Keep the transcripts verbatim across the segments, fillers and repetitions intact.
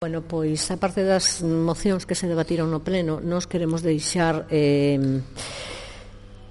Bueno, pois, a parte das mocións que se debatiron no pleno, nós queremos deixar eh,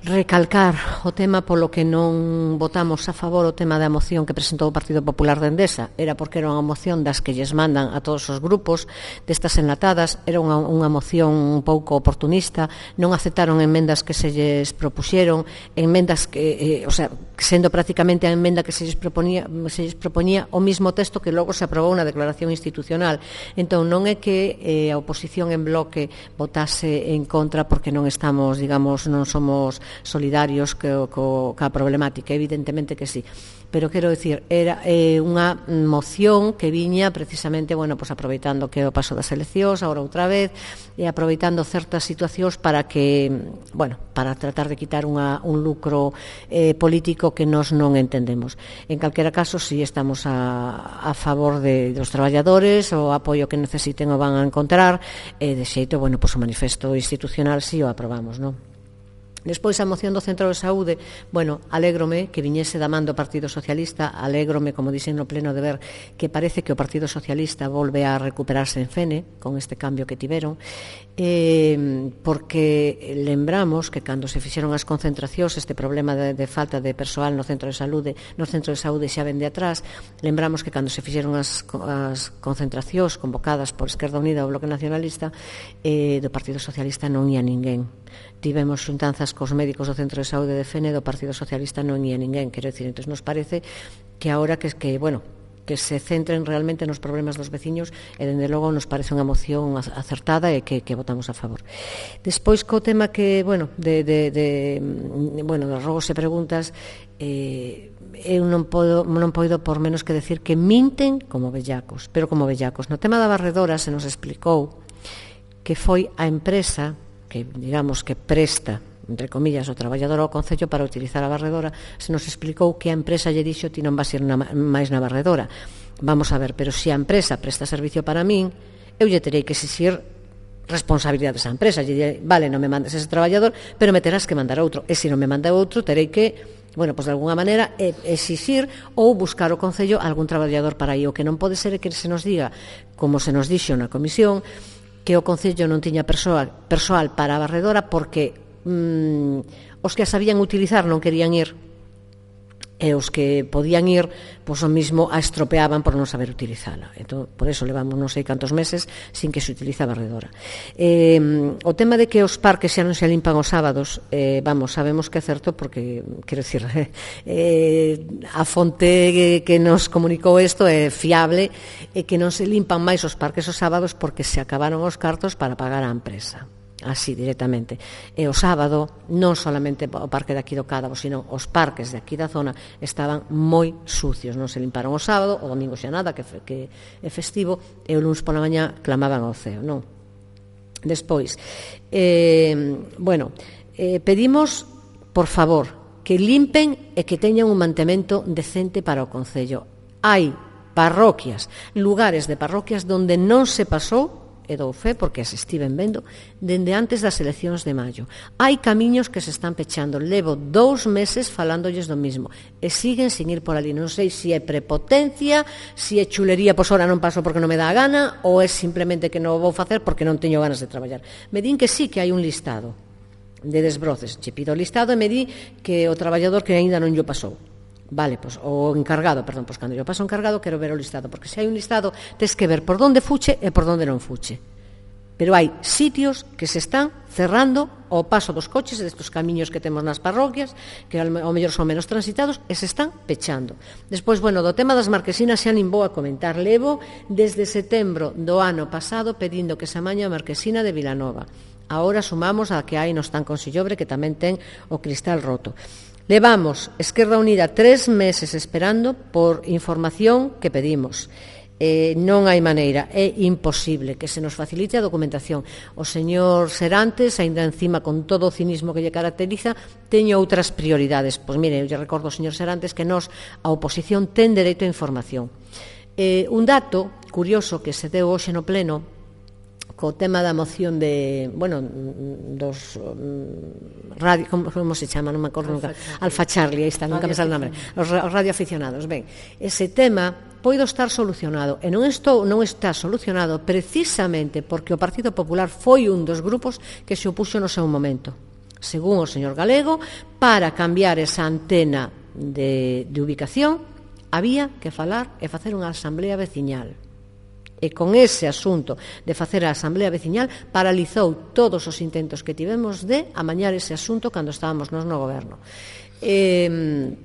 recalcar o tema polo que non votamos a favor o tema da moción que presentou o Partido Popular de Endesa. Era porque era unha moción das que lles mandan a todos os grupos, destas enlatadas, era unha, unha moción un pouco oportunista, non aceptaron enmendas que se lles propuxeron, enmendas que, eh, o sea, sendo prácticamente a enmenda que se lles proponía, se lles propoñía o mismo texto que logo se aprobou na declaración institucional. Entón, non é que eh, a oposición en bloque votase en contra porque non estamos, digamos, non somos solidarios co, co, ca problemática, evidentemente que sí, pero quero dicir, era eh, unha moción que viña precisamente, bueno, pues aproveitando que o paso das eleccións, agora outra vez, e aproveitando certas situacións para que, bueno, para tratar de quitar unha, un lucro eh, político que nós non entendemos. En calquera caso, si estamos a, a favor de, dos traballadores, o apoio que necesiten o van a encontrar, e de xeito, bueno, pues o manifesto institucional si o aprobamos, non? Despois a moción do Centro de Saúde, bueno, alégrome que viñese da man do Partido Socialista, alégrome, como dixen no pleno, de ver que parece que o Partido Socialista volve a recuperarse en Fene con este cambio que tiveron, eh, porque lembramos que cando se fixeron as concentracións, este problema de, de falta de persoal no Centro de Saúde, no Centro de Saúde xa ven de atrás, lembramos que cando se fixeron as, as concentracións convocadas por Esquerda Unida ou Bloque Nacionalista, eh, do Partido Socialista non ia ninguén. Tivemos xuntanzas cos médicos do Centro de Saúde de Fene, do Partido Socialista non ia ninguén, quero dicir, entón nos parece que agora que, que bueno, que se centren realmente nos problemas dos veciños, e dende logo nos parece unha moción acertada e que, que votamos a favor. Despois co tema que, bueno, de, de, de bueno, dos rogos e preguntas, eh, eu non podo, non podo por menos que decir que minten como bellacos, pero como bellacos. No tema da barredora se nos explicou que foi a empresa que, digamos, que presta, entre comillas, o traballador ao Concello para utilizar a barredora, se nos explicou que a empresa lle dixo ti non vas ir na, máis na barredora. Vamos a ver, pero se a empresa presta servicio para min, eu lle terei que exixir responsabilidade desa empresa. Lle direi, vale, non me mandes ese traballador, pero me terás que mandar outro. E se non me manda outro, terei que, bueno, pues de alguna maneira exixir ou buscar o Concello algún traballador para aí. O que non pode ser é que se nos diga, como se nos dixo na comisión, que o Concello non tiña persoal, persoal para a barredora porque mm, os que a sabían utilizar non querían ir, e os que podían ir, pois o mismo a estropeaban por non saber utilizala. Entón, por eso levamos non sei cantos meses sin que se utiliza a barredora. Eh, o tema de que os parques xa non se limpan os sábados, eh, vamos, sabemos que é certo porque, quero dicir, eh, a fonte que, que nos comunicou isto é fiable, e que non se limpan máis os parques os sábados porque se acabaron os cartos para pagar á empresa. Así, directamente. E o sábado, non solamente o parque de aquí do Cádabo, sino os parques de aquí da zona estaban moi sucios, non se limparon o sábado, o domingo xa nada, que, que é festivo, e o luns pola mañá clamaban ao ceo, non? Despois, eh, bueno, eh, pedimos, por favor, que limpen e que teñan un mantemento decente para o Concello. Hai parroquias, lugares de parroquias donde non se pasou, e dou fe porque as estiven vendo dende antes das eleccións de maio. Hai camiños que se están pechando, levo dous meses falándolles do mismo e siguen sin ir por ali. Non sei se é prepotencia, se é chulería, pois ora non paso porque non me dá a gana, ou é simplemente que non o vou facer porque non teño ganas de traballar. Me din que sí, que hai un listado de desbroces, che pido o listado e me di que o traballador que aínda non llo pasou. Vale, pois, o encargado, perdón, pois cando yo paso o encargado quero ver o listado, porque se hai un listado tes que ver por donde fuche e por donde non fuche. Pero hai sitios que se están cerrando ao paso dos coches e destes camiños que temos nas parroquias, que ao mellor son menos transitados, e se están pechando. Despois, bueno, do tema das marquesinas xa nin vou a comentar. Levo desde setembro do ano pasado pedindo que se amañe a marquesina de Vilanova. Agora sumamos a que hai no Están con Sillobre, que tamén ten o cristal roto. Levamos, Esquerda Unida, tres meses esperando por información que pedimos. Eh, non hai maneira, é imposible que se nos facilite a documentación. O señor Serantes, aínda encima con todo o cinismo que lle caracteriza, teño outras prioridades. Pois mire, eu lle recordo ao señor Serantes que nós, a oposición, ten dereito a información. Eh, un dato curioso que se deu hoxe no pleno, co tema da moción de, bueno, dos um, radio, como, como se chama, non me acordo nunca, Alfa Charlie, aí está, nunca me sale o nome, os, os radioaficionados. Ben, ese tema poido estar solucionado, e non, estou, non está solucionado precisamente porque o Partido Popular foi un dos grupos que se opuxo no seu momento, según o señor Galego. Para cambiar esa antena de, de ubicación había que falar e facer unha asamblea veciñal. E con ese asunto de facer a asamblea veciñal paralizou todos os intentos que tivemos de amañar ese asunto cando estábamos nos no goberno. Eh,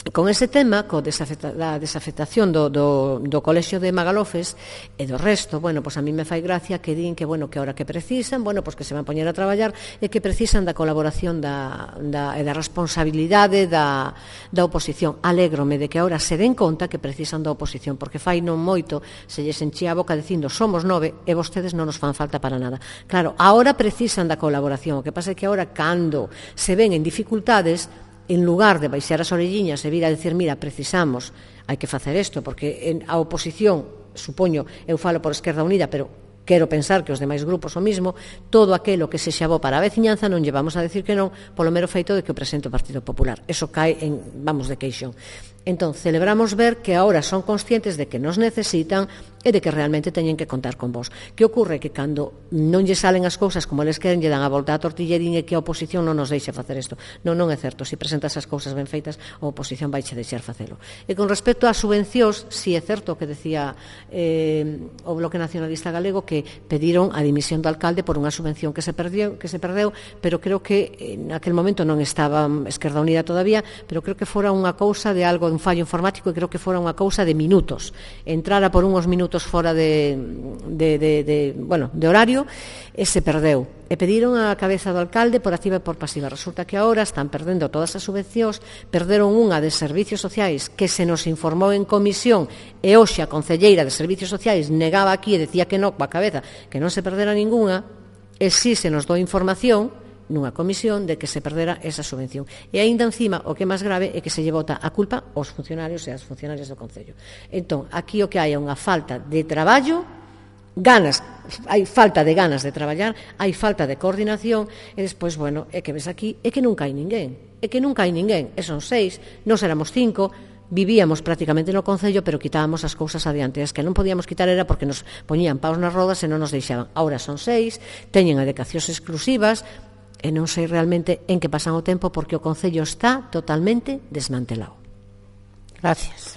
con ese tema, co desafecta, da desafectación do, do, do colexio de Magalofes e do resto, bueno, pois a mí me fai gracia que din que, bueno, que ahora que precisan, bueno, pois que se van a poñer a traballar e que precisan da colaboración da, da, e da responsabilidade da, da oposición. Alégrome de que ahora se den conta que precisan da oposición, porque fai non moito se lles enchía a boca dicindo somos nove e vostedes non nos fan falta para nada. Claro, ahora precisan da colaboración, o que pasa é que ahora cando se ven en dificultades, en lugar de baixar as orelliñas e vir a decir, mira, precisamos, hai que facer isto, porque a oposición, supoño, eu falo por Esquerda Unida, pero quero pensar que os demais grupos o mismo, todo aquelo que se xabou para a veciñanza non llevamos a decir que non, polo mero feito de que o presente o Partido Popular. Eso cae en, vamos, de queixón. Entón, celebramos ver que ahora son conscientes de que nos necesitan e de que realmente teñen que contar con vos. Que ocorre? Que cando non lle salen as cousas como eles queren, lle dan a volta a tortilla e din que a oposición non nos deixe facer isto. Non, non é certo. Se presentas as cousas ben feitas, a oposición vai che deixar facelo. E con respecto ás subvencións, si é certo que decía eh, o Bloque Nacionalista Galego que pediron a dimisión do alcalde por unha subvención que se perdeu, que se perdeu, pero creo que en aquel momento non estaba Esquerda Unida todavía, pero creo que fora unha cousa de algo, un fallo informático, e creo que fora unha cousa de minutos. Entrara por unhos minutos fora de, de, de, de, bueno, de horario e se perdeu. E pediron a cabeza do alcalde por activa e por pasiva. Resulta que agora están perdendo todas as subvencións, perderon unha de servicios sociais que se nos informou en comisión e hoxe a concelleira de servicios sociais negaba aquí e decía que non, coa cabeza, que non se perdera ninguna, e si se nos dou información nunha comisión de que se perdera esa subvención. E aínda encima, o que é máis grave é que se lle bota a culpa aos funcionarios e ás funcionarias do Concello. Entón, aquí o que hai é unha falta de traballo, ganas, hai falta de ganas de traballar, hai falta de coordinación, e despois, bueno, é que ves aquí, é que nunca hai ninguén, é que nunca hai ninguén, e son seis, nós éramos cinco, vivíamos prácticamente no Concello, pero quitábamos as cousas adiante. As que non podíamos quitar era porque nos poñían paus nas rodas e non nos deixaban. Ahora son seis, teñen adecacións exclusivas, e non sei realmente en que pasan o tempo porque o Concello está totalmente desmantelado. Gracias.